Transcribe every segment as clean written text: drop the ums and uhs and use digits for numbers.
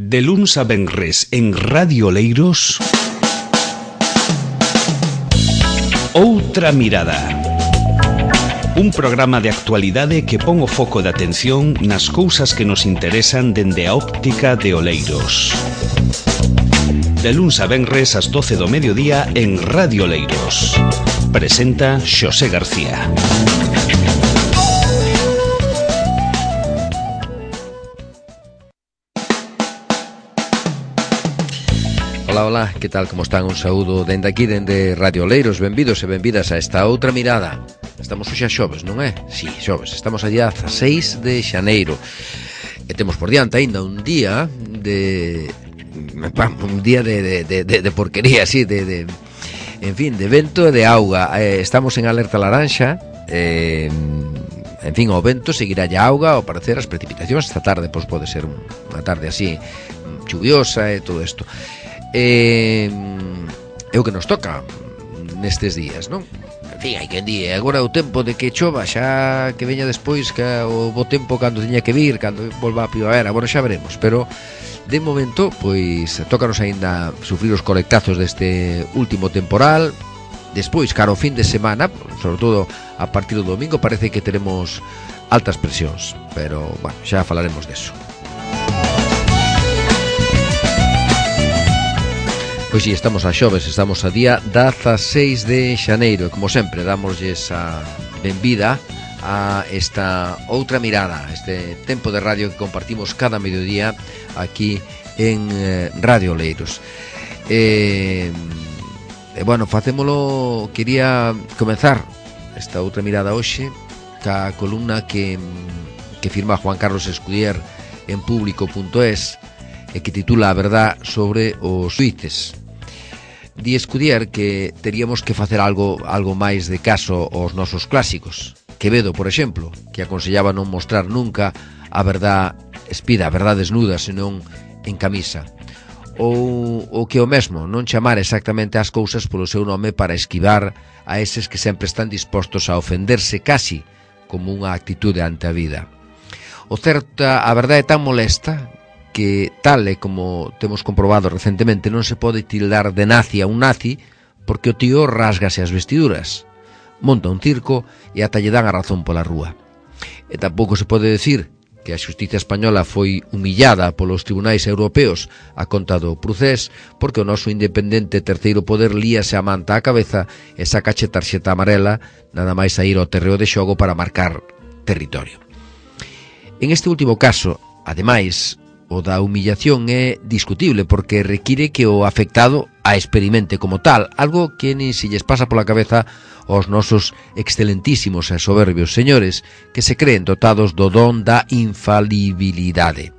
De luns a venres en Radio Oleiros, Outra Mirada. Un programa de actualidade que pon o foco de atención nas cousas que nos interesan dende a óptica de Oleiros. De luns a venres ás 12 do mediodía en Radio Oleiros. Presenta Xosé García. Ola, que tal, como están? Un saúdo dende aquí, dende Radio Oleiros. Benvidos e benvidas a esta outra mirada. Estamos hoxe a xoves, non é? Si, xoves. Estamos a día 16 de xaneiro. E temos por diante aínda un día de porquería, así, en fin, de vento e de auga. Estamos en alerta laranxa. En fin, o vento seguirá a auga. Ao parecer as precipitacións esta tarde, pois pode ser unha tarde así chuviosa e todo isto. É o que nos toca nestes días, non? En fin, hai quen di, agora o tempo de que chova, xa que veña despois, que o bo tempo cando teña que vir, cando volva a primavera, bueno, xa veremos, pero de momento, pois, tócanos aínda sufrir os colectazos deste último temporal. Despois, cara ao fin de semana, sobre todo a partir do domingo, parece que teremos altas presións, pero, bueno, xa falaremos deso. Pois si, estamos a xoves, estamos a día 16 de xaneiro e, como sempre, dámoslles a benvida a esta outra mirada, este tempo de radio que compartimos cada mediodía aquí en Radio Oleiros. Bueno, facémolo, quería comenzar esta outra mirada hoxe ca columna que firma Juan Carlos Escudier en público.es e que titula A verdad sobre os xuíces. Di Escudier que teríamos que facer algo máis de caso aos nosos clásicos. Quevedo, por exemplo, que aconsellaba non mostrar nunca a verdad espida, a verdad desnuda, senón en camisa. Ou que o mesmo, non chamar exactamente as cousas polo seu nome para esquivar a eses que sempre están dispostos a ofenderse casi como unha actitude ante a vida. O certo, a verdade é tan molesta que, tal e como temos comprobado recentemente, non se pode tildar de nazi a un nazi porque o tío rásgase as vestiduras, monta un circo e ata lle dan a razón pola rúa. E tampouco se pode decir que a xustiza española foi humillada polos tribunais europeos a conta do Procés porque o noso independente terceiro poder líase a manta á cabeza e sacache tarxeta amarela nada máis a ir ao terreo de xogo para marcar territorio. En este último caso, ademais, o da humillación é discutible porque require que o afectado a experimente como tal, algo que nin se lles pasa pola cabeza aos nosos excelentísimos e soberbios señores que se creen dotados do don da infalibilidade.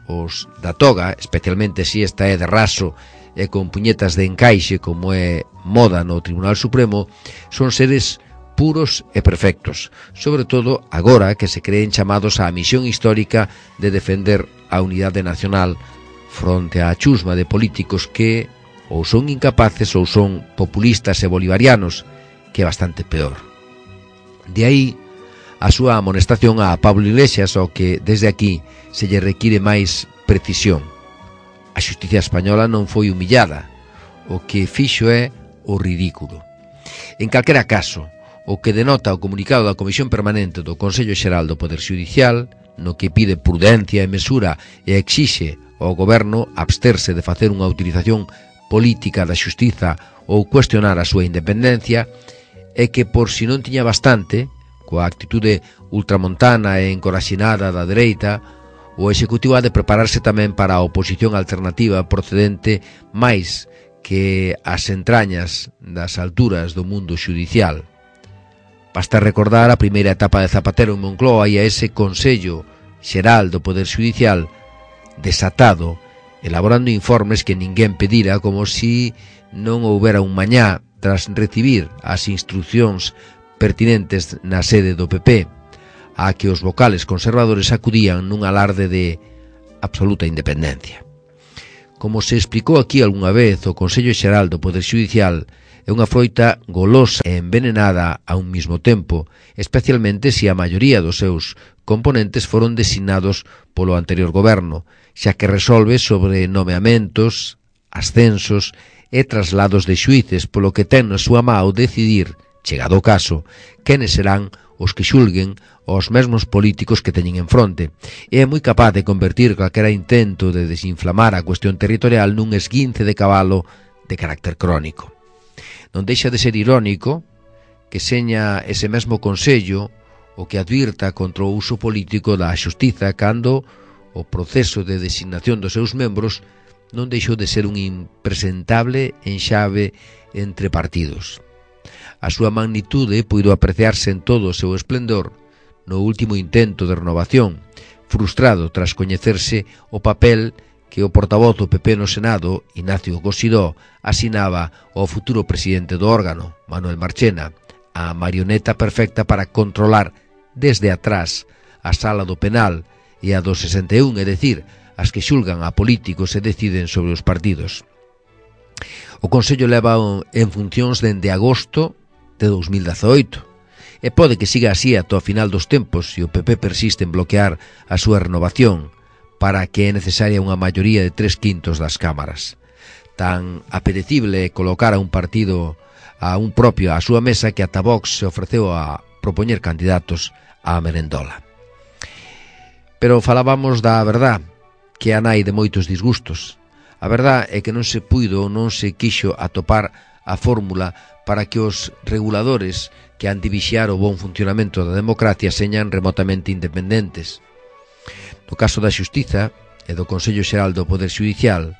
Os da toga, especialmente se esta é de raso e con puñetas de encaixe como é moda no Tribunal Supremo, son seres puros e perfectos, sobre todo agora que se creen chamados á misión histórica de defender a unidade nacional fronte á chusma de políticos que ou son incapaces ou son populistas e bolivarianos, que é bastante peor. De aí a súa amonestación a Pablo Iglesias, ao que desde aquí se lle require máis precisión. A xustiza española non foi humillada, o que fixo é o ridículo. En calquera caso, o que denota o comunicado da Comisión Permanente do Consello Xeral do Poder Xudicial, no que pide prudencia e mesura e exixe ao Goberno absterse de facer unha utilización política da xustiza ou cuestionar a súa independencia, é que, por si non tiña bastante, coa actitude ultramontana e encoraxinada da dereita, o Executivo ha de prepararse tamén para a oposición alternativa procedente máis que as entrañas das alturas do mundo xudicial. Basta recordar a primeira etapa de Zapatero en Moncloa e a ese Consello Xeral do Poder Xudicial desatado, elaborando informes que ninguén pedira, como si non houbera un mañá tras recibir as instruccións pertinentes na sede do PP, a que os vocales conservadores acudían nun alarde de absoluta independencia. Como se explicou aquí algunha vez, o Consello Xeral do Poder Xudicial é É unha froita golosa e envenenada a un mismo tempo, especialmente se a maioría dos seus componentes foron designados polo anterior goberno, xa que resolve sobre nomeamentos, ascensos e traslados de xuíces, polo que ten na súa mão decidir, chegado o caso, quenes serán os que xulguen aos mesmos políticos que teñen en fronte, e é moi capaz de convertir calquera intento de desinflamar a cuestión territorial nun esguince de cabalo de carácter crónico. Non deixa de ser irónico que seña ese mesmo Consello o que advirta contra o uso político da xustiza cando o proceso de designación dos seus membros non deixou de ser un impresentable enxave entre partidos. A súa magnitude puido apreciarse en todo o seu esplendor no último intento de renovación, frustrado tras coñecerse o papel que o portavoz do PP no Senado, Ignacio Cosidó, asinaba ao futuro presidente do órgano, Manuel Marchena, a marioneta perfecta para controlar desde atrás a sala do penal e a do 61, é dicir, as que xulgan a políticos e deciden sobre os partidos. O Consello leva en funcións dende agosto de 2018 e pode que siga así ata o final dos tempos se o PP persiste en bloquear a súa renovación, para que é necesaria unha maioría de 3/5 das cámaras. Tan apetecible é colocar a un partido a un propio á súa mesa que ata Vox se ofreceu a propoñer candidatos á merendola. Pero falábamos da verdad, que é a nai de moitos disgustos. A verdad é que non se puido ou non se quixo atopar a fórmula para que os reguladores que han de vixiar o bon funcionamento da democracia señan remotamente independentes. No caso da Xustiza e do Consello Xeral do Poder Xudicial,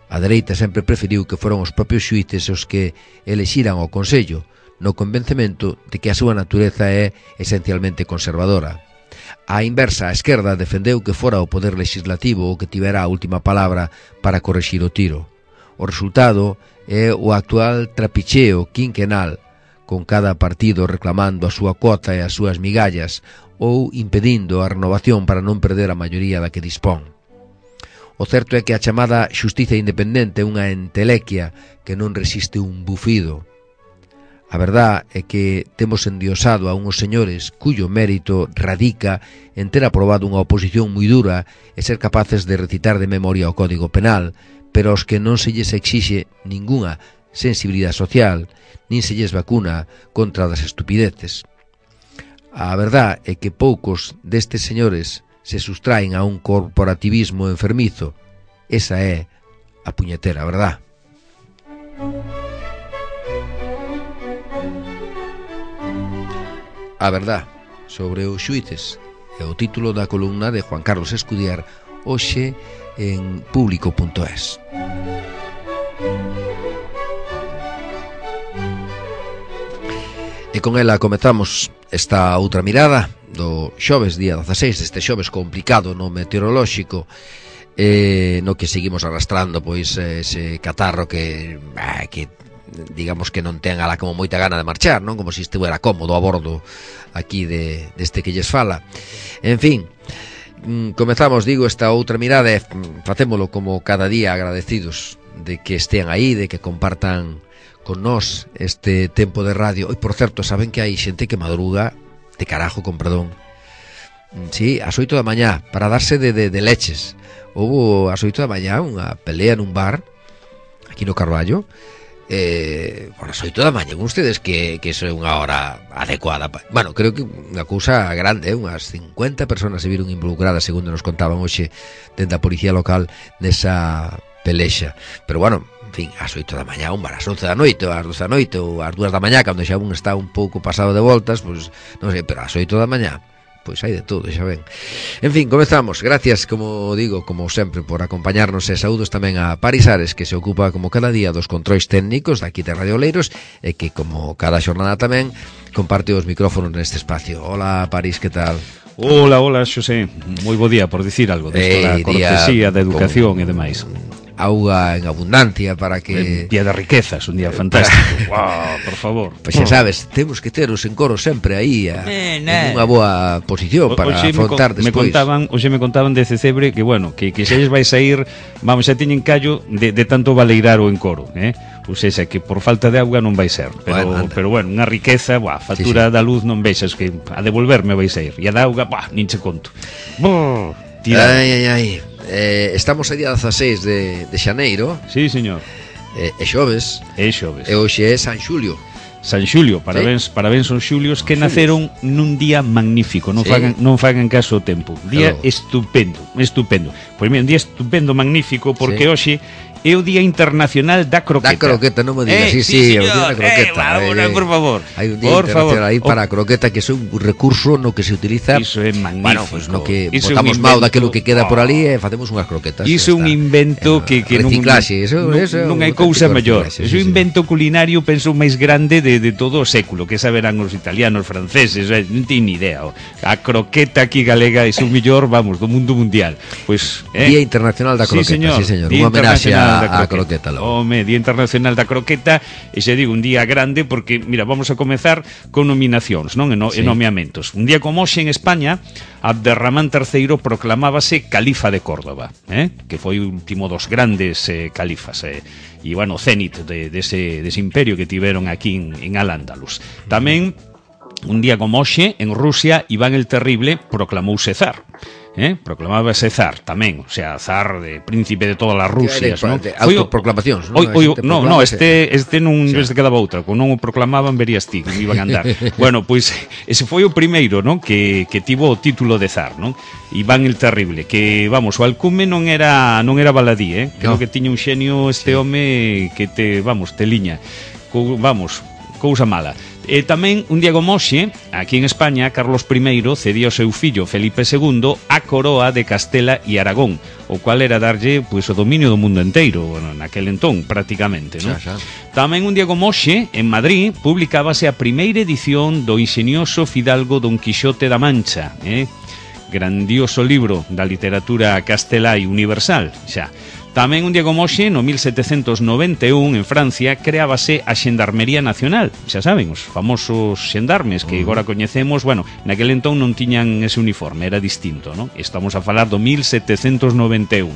a dereita sempre preferiu que foron os propios xuíces os que elexiran o Consello, no convencemento de que a súa natureza é esencialmente conservadora. A inversa, a esquerda defendeu que fora o Poder Legislativo o que tivera a última palabra para corrixir o tiro. O resultado é o actual trapicheo quinquenal, con cada partido reclamando a súa cuota e as súas migallas, ou impedindo a renovación para non perder a maioría da que dispón. O certo é que a chamada xustiza independente é unha entelequia que non resiste un bufido. A verdad é que temos endiosado a unhos señores cuyo mérito radica en ter aprobado unha oposición moi dura e ser capaces de recitar de memoria o Código Penal, pero aos que non se lles exixe ningunha sensibilidade social, nin se lles vacuna contra das estupideces. A verdad é que poucos destes señores se sustraen a un corporativismo enfermizo. Esa é a puñetera verdad. A verdad sobre os xuíces é o título da columna de Juan Carlos Escudier hoxe en público.es. E con ela comezamos esta outra mirada do xoves, día 16, deste xoves complicado no meteorolóxico, no que seguimos arrastrando pois ese catarro que digamos que non ten ala como moita gana de marchar, non? Como se estivera cómodo a bordo aquí deste que lles fala. En fin, comezamos, digo, esta outra mirada e facémolo como cada día agradecidos de que estean aí, de que compartan con nós este tempo de radio. E, por certo, saben que hai xente que madruga de carajo, con perdón. Sí, ás 8 da mañá, para darse de leches. Houbo ás 8 da mañá unha pelea nun bar aquí no Carballo. Por as 8 da mañá, ustedes que iso é unha hora adecuada. Bueno, creo que unha cousa grande, unhas 50 personas se viron involucradas, segundo nos contaban hoxe dentro da policía local nesa pelexa. Pero bueno, en fin, ás 8 da mañá, un bar ás 11 da noite, ás 12 da noite ou ás 2 da mañá, cando xa un está un pouco pasado de voltas, pois non sei, pero ás 8 da mañá pois hai de todo, xa ven. En fin, comezamos. Gracias, como digo, como sempre, por acompañarnos e saúdos tamén a Paris Ares, que se ocupa como cada día dos controis técnicos daqui de Radio Oleiros e que como cada xornada tamén comparte os micrófonos neste espacio. Hola, Paris, que tal? Hola, Xosé. Moi bo día, por dicir algo desto da cortesía, da educación e demais. Auga en abundancia para que... Día de riquezas, un día fantástico. Wow, por favor. Pois xa sabes, temos que ter os encoros sempre aí en unha boa posición para afrontar despois. Hoxe me contaban de Cecebre que, bueno, que xa lles vai sair, vamos, xa teñen callo de tanto valeirar o encoro, pois esa que por falta de auga non vai ser, pero bueno, unha riqueza, factura da luz non vexas que a devolverme vai ser, e a da auga, nin che conto. Estamos a día 16 de xaneiro. Sí, señor. É xoves. É xoves. E hoxe é San Xulio. San Xulio, parabéns aos xulios que naceron nun día magnífico, non fagan caso ao tempo. Día estupendo. Pois mira, un día estupendo, magnífico, porque hoxe é o Día Internacional da Croqueta. Da croqueta, non me digas, sí, o Día da Croqueta. Por favor. Hai un Día Internacional aí para a croqueta, que é un recurso no que se utiliza. Iso é magnífico. Bueno, pues no que botamos mal daquilo que queda por ali e facemos unhas croquetas. Iso é un invento que reciclaxe, non hai cousa mellor. Iso é un invento culinario, penso, máis grande de todo o século, que saberán os italianos, franceses, non teñen ni idea. A croqueta aquí galega é o mellor, vamos, do mundo mundial. Pois, Día Internacional da Croqueta, sí, señor. Unha homenaxe a croqueta. Home, Día Internacional da Croqueta, e xa digo, un día grande porque, mira, vamos a comezar con nominacións, non? E nomeamentos. Un día como hoxe en España, Abderramán III proclamábase califa de Córdoba, que foi o último dos grandes califas, e, bueno, cenit dese imperio que tiveron aquí en Al-Ándalus. Tamén, un día como hoxe, en Rusia, Iván el Terrible proclamouse zar. Proclamábase zar tamén, o sea, zar de príncipe de todas as Rusias, non? Autoproclamacións, non? Este non se quedaba outra, como non o proclamaban verías ti, que iban a andar. Bueno, pois ese foi o primeiro, non? Que tivo o título de zar, non? Iván el Terrible, que, vamos, o alcume non era baladí, creo que tiña un xenio este home que te liña. Vamos, cousa mala. E tamén, un día como hoxe, aquí en España, Carlos I cedía ao seu fillo Felipe II a coroa de Castela e Aragón, o cual era darlle, pois, o dominio do mundo enteiro, bueno, naquel entón, prácticamente, non? Tamén, un día como hoxe, en Madrid, publicábase a primeira edición do ingenioso fidalgo Don Quixote da Mancha, grandioso libro da literatura castelá e universal, xa. Tamén un día como hoxe, no 1791, en Francia, creábase a Xendarmería Nacional. Xa saben, os famosos xendarmes que agora coñecemos, bueno, naquel entón non tiñan ese uniforme, era distinto, non? Estamos a falar do 1791,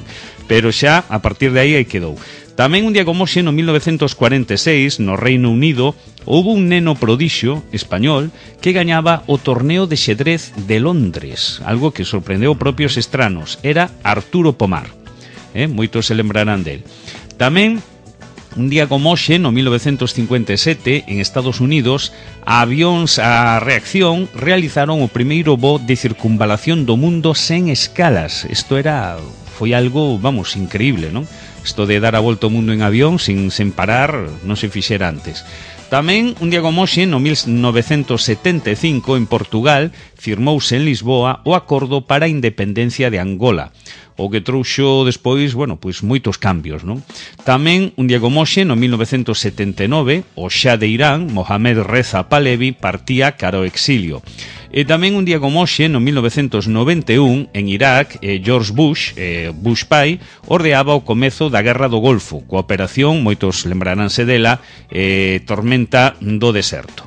pero xa, a partir de aí quedou. Tamén un día como hoxe, no 1946, no Reino Unido, houve un neno prodixio español que gañaba o torneo de xedrez de Londres, algo que sorprendeu propios estranos. Era Arturo Pomar. Moitos se lembrarán del. Tamén, un día como hoxe, no 1957, en Estados Unidos, avións a reacción realizaron o primeiro voo de circunvalación do mundo sen escalas. Isto foi algo, vamos, increíble, non? Isto de dar a volta ao mundo en avión sen parar non se fixera antes. Tamén, un día como hoxe, no 1975, en Portugal, firmouse en Lisboa o acordo para a independencia de Angola, o que trouxo despois, bueno, pois moitos cambios, non? Tamén, un día como hoxe, no 1979, o xa de Irán, Mohamed Reza Pahlavi, partía cara ao exilio. E tamén un día como hoxe, no 1991, en Irak, George Bush, Bush pai, ordeaba o comezo da Guerra do Golfo, coa operación, moitos lembraránse dela, Tormenta do Deserto.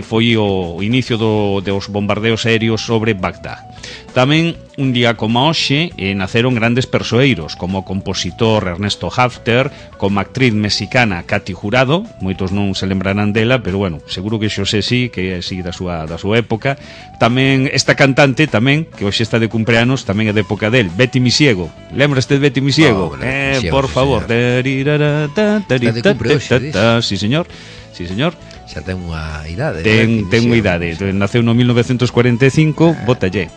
Foi o inicio dos bombardeos aéreos sobre Bagdad. Tamén, un día como hoxe, naceron grandes persoeiros, como o compositor Ernesto Hafter, como a actriz mexicana Katy Jurado, moitos non se lembrarán dela, pero bueno, seguro que Xosé sí, que é así da súa época. Tamén esta cantante, tamén, que hoxe está de cumpleanos, tamén é de época del, Betty Misiego. Lembras-te de Betty Misiego? Por favor. Está de cumple hoxe, sí, señor. Sí, señor. Xa ten unha idade. Ten unha idade. Naceu no 1945, bótalle.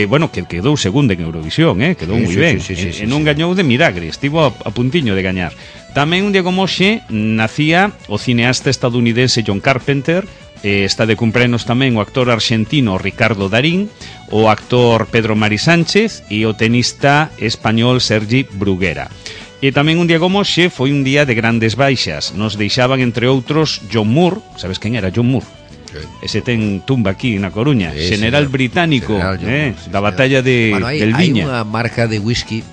Bueno, que quedou segunda en Eurovisión, quedou moi ben. E non gañou de milagre, estivo a puntiño de gañar. Tamén un día como hoxe nacía o cineasta estadounidense John Carpenter, está de cumpleanos tamén o actor argentino Ricardo Darín, o actor Pedro Mari Sánchez e o tenista español Sergi Bruguera. E tamén un día como hoxe foi un día de grandes baixas. Nos deixaban, entre outros, John Moore. Sabes quen era John Moore? Ese ten tumba aquí na Coruña, general británico, da batalla del Viña. Hai unha marca de whisky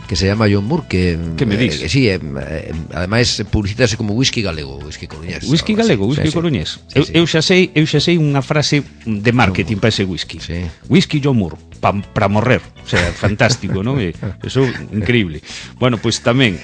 que se llama John Moore, que me dis? Sí, ademais publicítase como whisky galego, whisky coruñés. Whisky galego, whisky coruñés. Eu xa sei unha frase de marketing para ese whisky. Sí. Whisky John Moore, para morrer. O sea, fantástico, non? Eso increíble. Bueno, pois tamén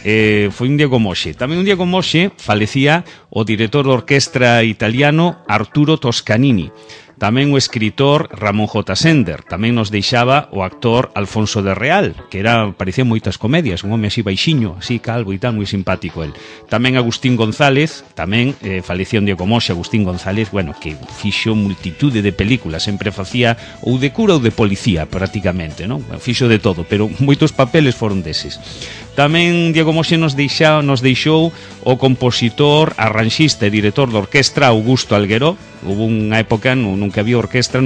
foi un día como hoxe. Tamén un día como hoxe falecía o director de orquestra italiano Arturo Toscanini. Tamén o escritor Ramón J. Sender. Tamén nos deixaba o actor Alfonso de Real, que parecía moitas comedias, un home así baixiño, así calvo e tal, moi simpático el. Tamén Agustín González, tamén falecía un día como hoxe Agustín González, bueno, que fixo multitude de películas, sempre facía ou de cura ou de policía, prácticamente, non? Fixo de todo, pero moitos papeles foron deses. Tamén Diego Moxe nos deixou o compositor, arranxista e director de orquestra Augusto Algueró. Hubo unha época non que había orquestra,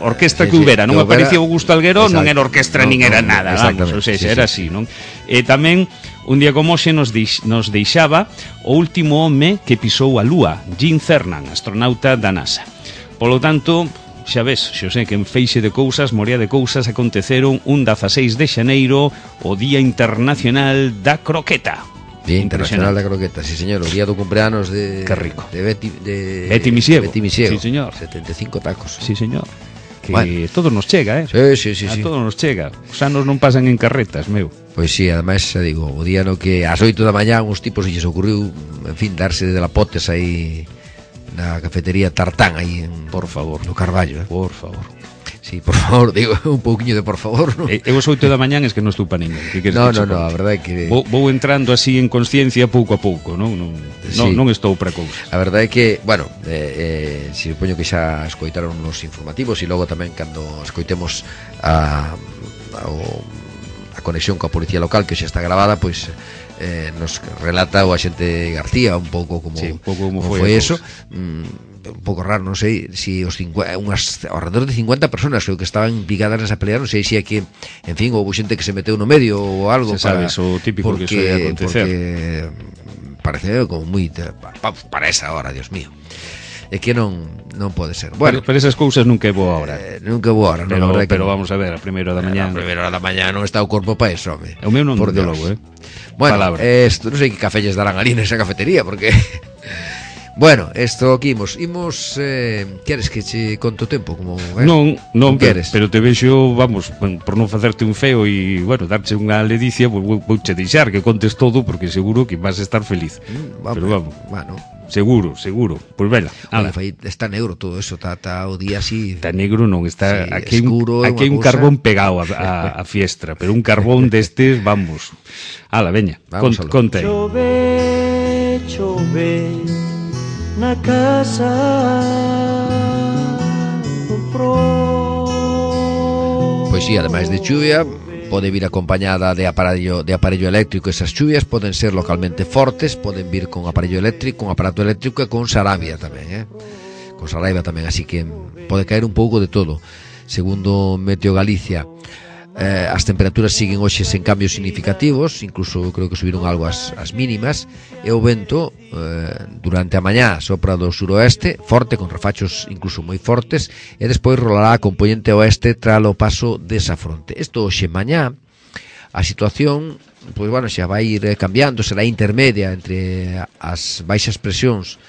orquestra que houbera, non aparecía Augusto Algueró, non era orquestra nin era nada, vamos, ou seja, era así, non? E tamén un día como hoxe nos deixaba o último home que pisou a Lúa, Gene Cernan, astronauta da NASA. Polo tanto, xa ves, Xosé, que en feixe de cousas, morea de cousas aconteceron un 16 de xaneiro, o Día Internacional da Croqueta. Día Internacional da Croqueta, sí señor, o día do cumpleanos de... Qué rico. De Betty Misiego. Sí señor. 75 tacos. Sí señor. Que bueno, todo nos chega, Sí. A todo nos chega. Os anos non pasan en carretas, meu. Pois sí, ademais, xa digo, o día no que ás 8 da mañá uns tipos lles ocurriu, en fin, darse de lapotes aí na cafetería Tartán aí en, por favor, no Carballo, Por favor. Sí, por favor, digo, un pouquiño de por favor, ¿no? Eu os 8 da mañá es que non estou pa ninguén. No, a verdade é que vou entrando así en consciencia pouco a pouco, non estou para cousa. A verdade é que, bueno, supoño que xa escoitaron nos informativos e logo tamén cando escoitemos a conexión coa policía local, que xa está gravada, pois nos relata o axente García un pouco como, sí, un pouco como foi eso. Un pouco raro, non sei si alrededor de 50 personas que estaban implicadas nesa pelea, non sei se é que, en fin, houve xente que se meteu no medio ou algo, se sabes, o típico que suele acontecer, porque parece como moi para esa hora, Dios mío. É que non pode ser. Bueno, pero esas cousas nunca é boa hora. Nunca é boa hora, pero vamos a ver, a primeira da mañá. A primeira da mañá non está o corpo para eso, home. O meu non, de logo, Bueno, isto non sei que café lles darán ali nesa cafetería, porque bueno, isto aquí imos queres que che conto tempo como non queres, pero te vexo, vamos, por non facerte un feo e, bueno, darche unha ledicia, vouche deixar que contes todo porque seguro que vas a estar feliz. Pero vamos, bueno, seguro, pois vela. Está negro todo eso, está o día así. Está negro, non está, sí, aquí escuro, hai un carbón pegado a fiestra, pero un carbón destes, vamos. Ala, veña, conta aí. Chove na casa do pro. Pois sí, ademais de chuvia, pode vir acompañada de aparello eléctrico. Esas chuvias poden ser localmente fortes, poden vir con aparello eléctrico, con aparato eléctrico e con sarabia tamén, con saraiva tamén, así que pode caer un pouco de todo. Segundo Meteo Galicia, as temperaturas siguen hoxe sen cambios significativos, incluso creo que subiron algo as mínimas, e o vento durante a mañá sopra do suroeste forte, con refachos incluso moi fortes, e despois rolará a componente oeste tras o paso desa fronte. Isto hoxe mañá a situación, pois bueno, xa vai ir cambiando, será intermedia entre as baixas presións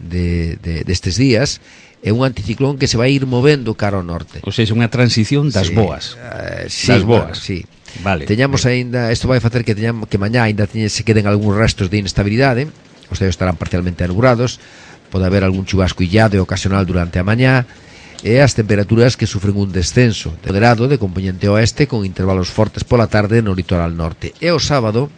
destes días é un anticiclón que se vai ir movendo cara ao norte. Ou seja, unha transición das boas. Sí, das boas. Sí. Vale. Teñamos aínda, isto vai facer que mañá aínda se queden algúns restos de inestabilidade, os ceos estarán parcialmente anubrados, pode haber algún chubasco illado e ocasional durante a mañá, e as temperaturas que sufren un descenso moderado de componente oeste con intervalos fortes pola tarde no litoral norte. E o sábado,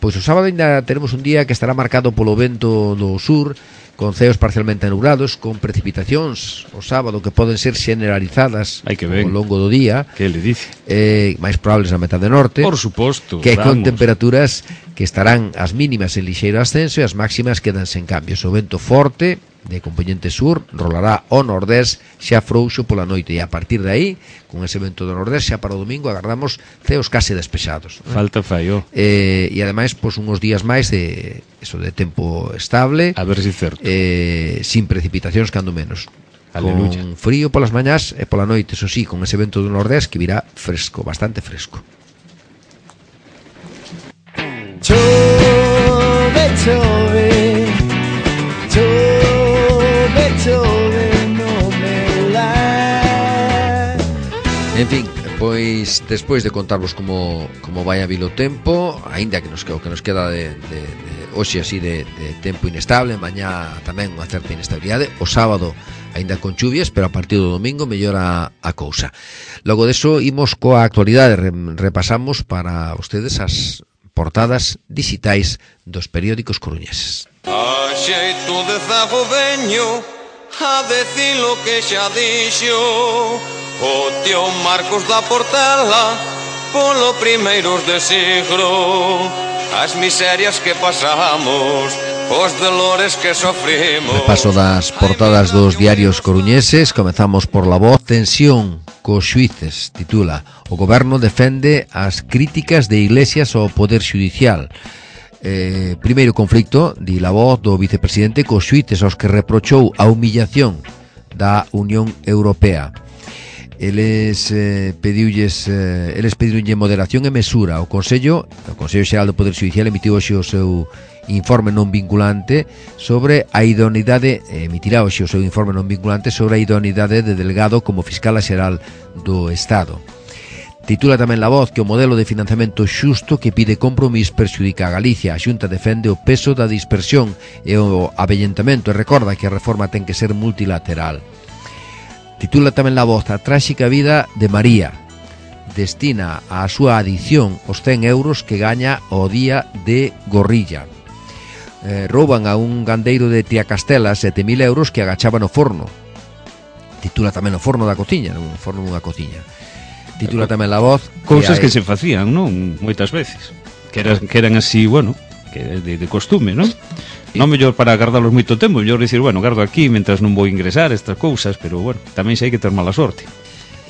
pois o sábado ainda teremos un día que estará marcado polo vento do sur, con ceos parcialmente anubrados, con precipitacións o sábado que poden ser generalizadas ao longo do día, que le dice? máis probables na metade norte, por suposto, que con temperaturas que estarán as mínimas en lixeiro ascenso e as máximas quedan sen cambios. O vento forte de componente sur rolará ao nordés xa frouxo pola noite, e a partir de aí, con ese vento do nordés, xa para o domingo agardamos ceos case despexados, falta fallo, e ademais pois uns días máis de tempo estable, a ver se certo, sin precipitacións, cando menos. Aleluya. Con frío polas mañás e pola noite, eso sí, con ese vento do nordés que virá fresco, bastante fresco. Chove, chove, chove, chove, no me la. En fin, pois despois de contarvos como vai a vir o tempo, aínda que nos queda de hoxe así de tempo inestable, mañá tamén unha certa inestabilidade, o sábado aínda con chuvias, pero a partir do domingo mellora a cousa. Logo deso imos coa actualidade, repasamos para vostedes as portadas digitais dos periódicos coruñeses. A xeito de zago veño a decir lo que xa dixo o tío Marcos da Portela polo primeiros de siglo, as miserias que pasamos, os dolores que sofrimos. Repaso das portadas dos diarios coruñeses. Comezamos por La Voz. Tensión cos xuíces, titula. O goberno defende as críticas de Iglesias ao Poder Xudicial. Primeiro conflicto, di La Voz, do vicepresidente cos xuíces aos que reprochou a humillación da Unión Europea. Eles pedironlle moderación e mesura. O Consello Xeral do Poder Xudicial emitiu hoxe o seu informe non vinculante sobre a idoneidade, emitirá hoxe o seu informe non vinculante sobre a idoneidade de Delgado como fiscal xeral do Estado. Titula tamén La Voz que o modelo de financiamento xusto que pide Compromís perxudica a Galicia. A Xunta defende o peso da dispersión e o avellentamento e recorda que a reforma ten que ser multilateral. Titula tamén La Voz a tráxica vida de María. Destina a súa adición os 100 euros que gaña o día de Gorrilla. Rouban a un gandeiro de Triacastela 7.000 euros que agachaba no forno. Titula tamén o forno da cociña, un forno dunha cociña. Titula tamén La Voz cousas que se facían, non? Moitas veces que eran así, bueno, que de costume, non? Non mellor para guardarlos moito tempo, mellor dicir, bueno, guardo aquí mentras non vou ingresar estas cousas, pero bueno, tamén xa hai que ter mala sorte.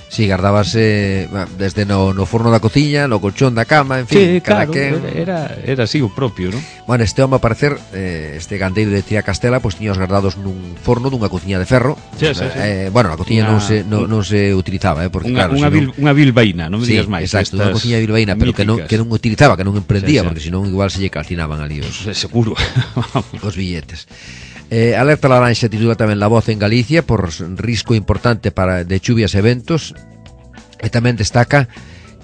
Si, guardabase desde no forno da cociña, no colchón da cama, en fin, sí, cada claro, quen... era así o propio, non? Bueno, este home, a parecer, este gandeiro de Triacastela, pois tiña os guardados nun forno dunha cociña de ferro. Sí. Bueno, a cociña non se utilizaba, porque claro, unha bilbaína, non me digas máis. Exacto, unha cociña bilbaína, pero que non utilizaba, que non emprendía, porque senón igual se lle calcinaban ali os seguro. Os billetes. Alerta laranxa titula tamén La Voz en Galicia por risco importante de chuvias e ventos, e tamén destaca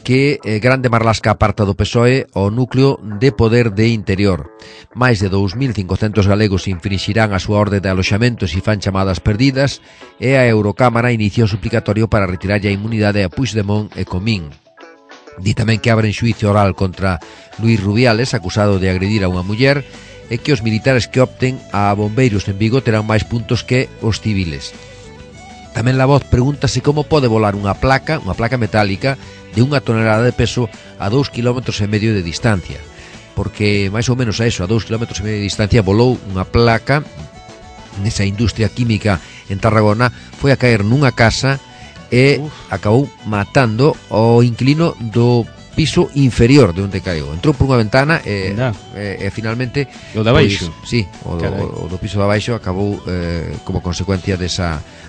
que Grande Marlasca aparta do PSOE o núcleo de poder de Interior. Mais de 2.500 galegos infringirán a súa orde de aloxamentos e fan chamadas perdidas, e a Eurocámara inicia o suplicatorio para retirar a inmunidade a Puigdemont e Comín. Di tamén que abren xuicio oral contra Luís Rubiales, acusado de agredir a unha muller, e que os militares que opten a bombeiros en Vigo terán máis puntos que os civiles. Tamén La Voz pregúntase como pode volar unha placa metálica de 1 tonelada de peso a 2,5 km de distancia, porque máis ou menos a eso, a 2,5 km de distancia volou unha placa nesa industria química en Tarragona, foi a caer nunha casa e acabou matando o inquilino do piso inferior de onde caeu. Entrou por unha ventana e finalmente o de abaixo. Sí, o do piso de abaixo acabou como consecuencia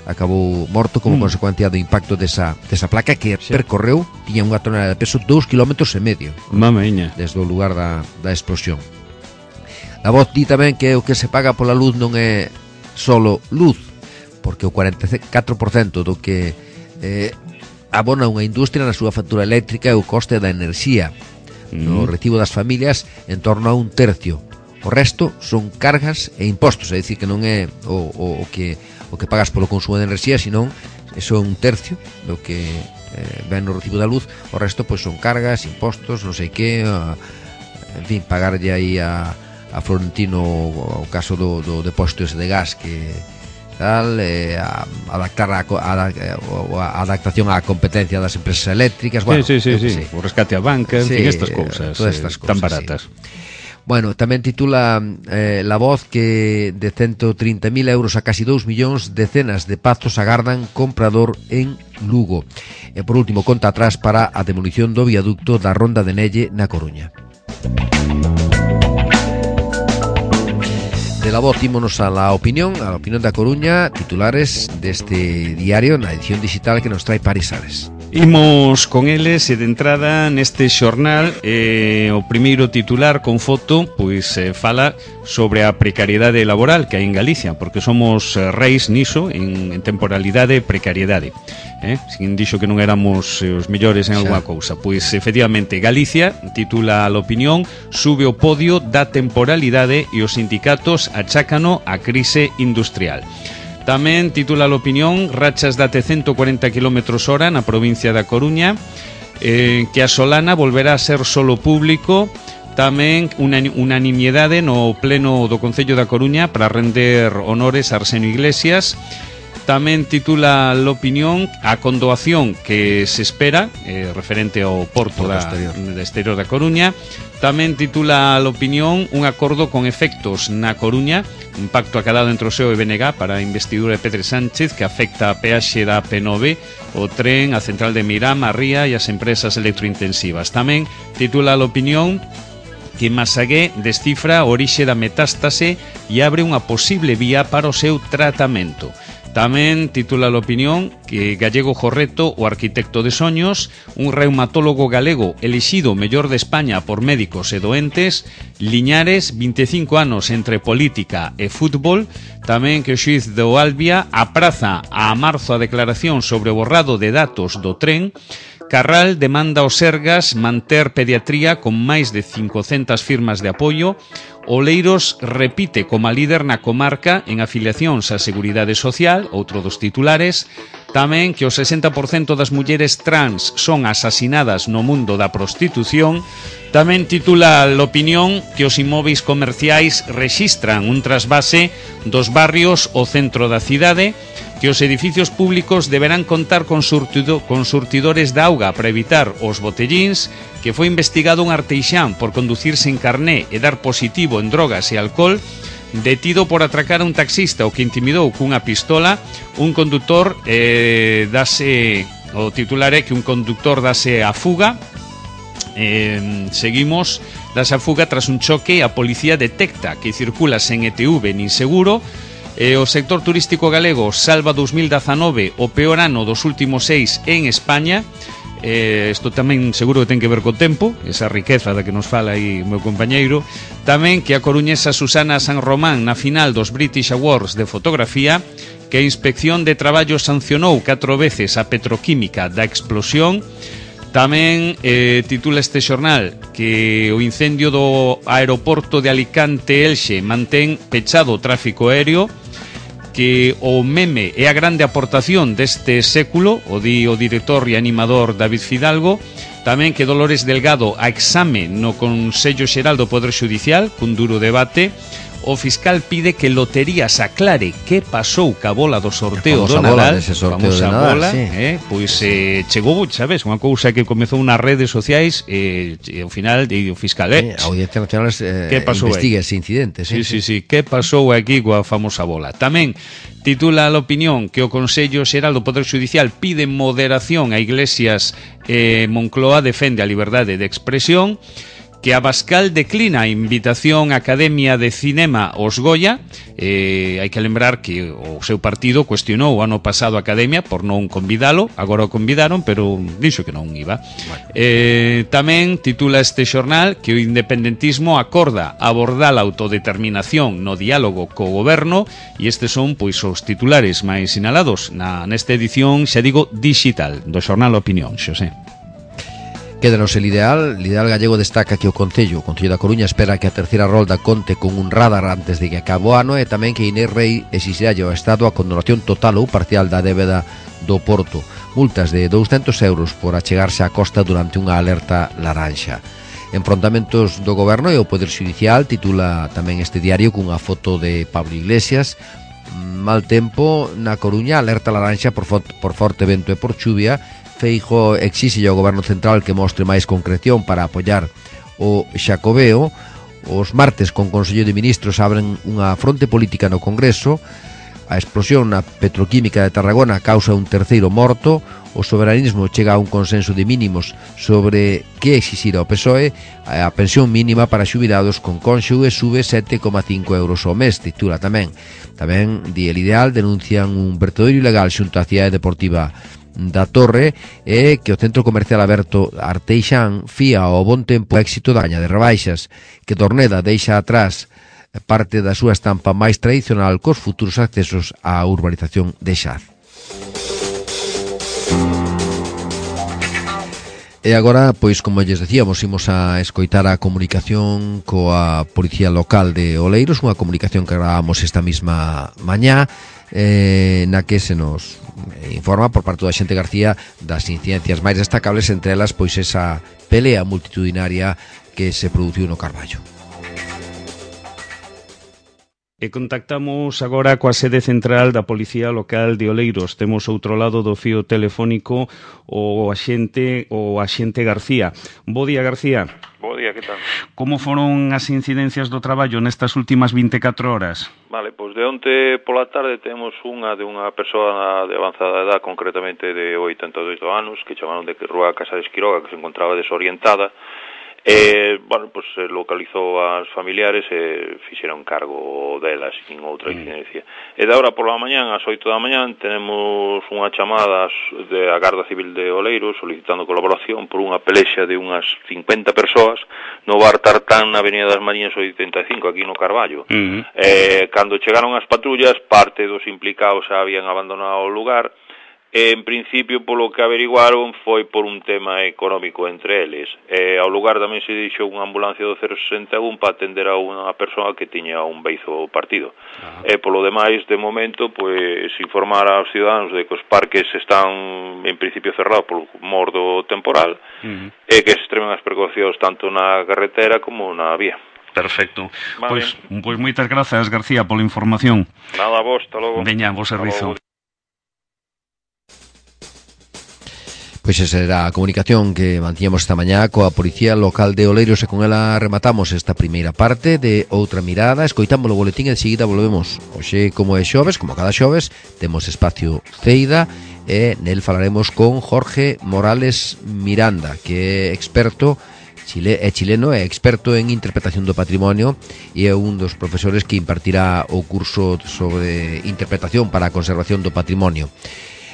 acabou morto como consecuencia do impacto desa placa que percorreu, tiña unha tonelada de peso, 2,5 km. Mameña. Desde o lugar da explosión. La Voz di tamén que o que se paga pola luz non é solo luz, porque o 44% do que abona unha industria na súa factura eléctrica é o coste da enerxía. No recibo das familias en torno a 1/3. O resto son cargas e impostos, é dicir, que non é o que pagas polo consumo de enerxía, senón eso é 1/3 do que ven no recibo da luz. O resto pois son cargas, impostos, non sei que, en fin, pagarlle aí a Florentino o caso do depósito ese de gas que adaptar a adaptación á competencia das empresas eléctricas, bueno, sí. O rescate a banca, en fin, estas cousas tan baratas. Bueno, tamén titula La Voz que de 130.000 euros a casi 2 millóns decenas de pazos agardan comprador en Lugo. E por último, conta atrás para a demolición do viaducto da Ronda de Nelle na Coruña. De la voz ímonos a la opinión da Coruña, titulares deste diario na edición digital que nos trae Paris Ares. Imos con eles e de entrada neste xornal o primeiro titular con foto pois fala sobre a precariedade laboral que hai en Galicia, porque somos reis niso en temporalidade e precariedade. Sin dixo que non éramos os mellores en alguna cousa. Pois efectivamente Galicia, titula a opinión, sube o podio da temporalidade e os sindicatos achácano a crise industrial. Tamén titula a opinión, rachas de até 140 km/h na provincia da Coruña, que a Solana volverá a ser solo público. Tamén unanimidade no pleno do Concello da Coruña para render honores a Arsenio Iglesias. Tamén titula a opinión a condoación que se espera, referente ao porto da exterior da Coruña. Tamén titula a opinión un acordo con efectos na Coruña, un pacto acadado entre o SEO e BNG para a investidura de Pedro Sánchez que afecta a peaxe da P9, o tren, a central de Miram, a Ría e as empresas electrointensivas. Tamén titula a opinión que Masagué descifra a orixe da metástase e abre unha posible vía para o seu tratamento. Tamén titula a opinión que Gallego Jorreto, o arquitecto de soños, un reumatólogo galego elixido mellor de España por médicos e doentes. Liñares, 25 anos entre política e fútbol. Tamén que o xuíz do Albia apraza a marzo a declaración sobre o borrado de datos do tren. Carral demanda aos Sergas manter pediatría con máis de 500 firmas de apoio. Oleiros repite como líder na comarca en afiliacións á Seguridade Social, outro dos titulares. Tamén que o 60% das mulleres trans son asasinadas no mundo da prostitución. Tamén titula a opinión que os inmóveis comerciais rexistran un trasvase dos barrios ao centro da cidade, que os edificios públicos deberán contar con surtidores de auga para evitar os botellíns, que foi investigado un arteixán por conducir sen carné e dar positivo en drogas e alcohol, detido por atracar a un taxista o que intimidou cunha pistola, un condutor o titular é que un conductor dase a fuga. Seguimos, dase a fuga tras un choque, a policía detecta que circula sen ETV nin seguro. O sector turístico galego salva 2019 o peor ano dos últimos 6 en España. Isto tamén seguro que ten que ver co tempo, esa riqueza da que nos fala aí o meu compañeiro. Tamén que a coruñesa Susana San Román na final dos British Awards de fotografía, que a Inspección de Traballo sancionou 4 veces a petroquímica da explosión. Tamén titula este xornal que o incendio do aeroporto de Alicante-Elxe mantén pechado o tráfico aéreo, que o meme é a grande aportación deste século, o di o director e animador David Fidalgo. Tamén que Dolores Delgado a exame no Consello Xeral do Poder Xudicial, cun duro debate. O fiscal pide que Loterías aclare que pasou ca bola do sorteo do Nadal, famosa bola, sí. Pois chegou, sabes, unha cousa que comezou nas redes sociais e ao final o fiscal, a Audiencia Nacional investiga ese incidente, sí, que pasou aquí coa famosa bola. Tamén titula a opinión que o Consello Xeral do Poder Xudicial pide moderación a Iglesias Moncloa defende a liberdade de expresión. Que Abascal declina a invitación á Academia de Cinema aos Goya. Hai que lembrar que o seu partido cuestionou o ano pasado a Academia por non convidalo, agora o convidaron, pero dixo que non iba. Tamén titula este xornal que o independentismo acorda abordar a autodeterminación no diálogo co goberno, e estes son pois os titulares máis sinalados nesta edición, xa digo, digital do xornal Opinión, Xosé. Quédanos el ideal. El ideal gallego destaca que o Concello da Coruña espera que a terceira rolda conte con un radar antes de que acabe o ano, e tamén que Inés Rei exixirá ao Estado a condonación total ou parcial da débeda do Porto. Multas de 200 euros por achegarse á costa durante unha alerta laranxa. Enfrontamentos do Goberno e o Poder Xudicial, titula tamén este diario cunha foto de Pablo Iglesias. Mal tempo na Coruña, alerta laranxa por forte vento e por chuvia. Feijóo exixe ao Goberno Central que mostre máis concreción para apoiar o Xacobeo. Os martes con Consello de Ministros abren unha fronte política no Congreso. A explosión na petroquímica de Tarragona causa un terceiro morto. O soberanismo chega a un consenso de mínimos sobre que exixir ao PSOE. A pensión mínima para xubilados con cónxuge sube 7,5 euros ao mes, titula tamén. Tamén, di El Ideal, denuncian un vertedoiro ilegal xunto á cidade deportiva da Torre e que o centro comercial aberto Arteixán fía ao bon tempo o éxito da caña de rebaixas, que Torneda deixa atrás parte da súa estampa máis tradicional cos futuros accesos á urbanización de Xaz. E agora, pois, como lles decíamos, imos a escoitar a comunicación coa Policía Local de Oleiros, unha comunicación que grabamos esta mesma mañá, na que se nos informa por parte do Axente García das incidencias máis destacables, entre elas, pois, esa pelea multitudinaria que se produciu no Carballo. E contactamos agora coa sede central da Policía Local de Oleiros. Temos outro lado do fío telefónico o axente García. Bo día, García. Bo día, que tal? Como foron as incidencias do traballo nestas últimas 24 horas? Vale, pois de onte pola tarde temos unha de unha persoa de avanzada edad, concretamente de 82 anos, que chamaron de Rúa Casa de Esquiroga, que se encontraba desorientada. Bueno, pues localizou as familiares e fixeron cargo delas sin outra incidencia. E de ahora pola mañán, ás 8 da mañán, tenemos unha chamada da Garda Civil de Oleiros solicitando colaboración por unha pelexa de unhas 50 persoas no bar Tartán na Avenida das Mariñas 85, aquí no Carballo. Cando chegaron as patrullas, parte dos implicados xa habían abandonado o lugar. En principio, polo que averiguaron, foi por un tema económico entre eles. Ao lugar tamén se dixo unha ambulancia do 061 para atender a unha persoa que tiña un beizo partido. Polo demais, de momento, pois informar aos ciudadanos de que os parques están en principio cerrados por mor do temporal e que se extremen as precaucións tanto na carretera como na vía. Perfecto. Vale. Pois moitas grazas, García, pola información. Nada, vos, hasta logo. Veña, vos servizo. Pois esa era a comunicación que mantíamos esta mañá coa Policía Local de Oleiros e con ela rematamos esta primeira parte de Outra Mirada. Escoitamos o boletín e de seguida volvemos. Hoxe, como é xoves, como cada xoves, temos espacio Ceida e nel falaremos con Jorge Morales Miranda, que é experto chileno e experto en interpretación do patrimonio e é un dos profesores que impartirá o curso sobre interpretación para a conservación do patrimonio.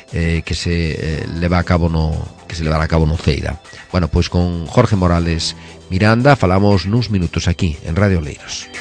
Que se levará a cabo no Ceira. Bueno, pois con Jorge Morales Miranda falamos nuns minutos aquí en Radio Oleiros.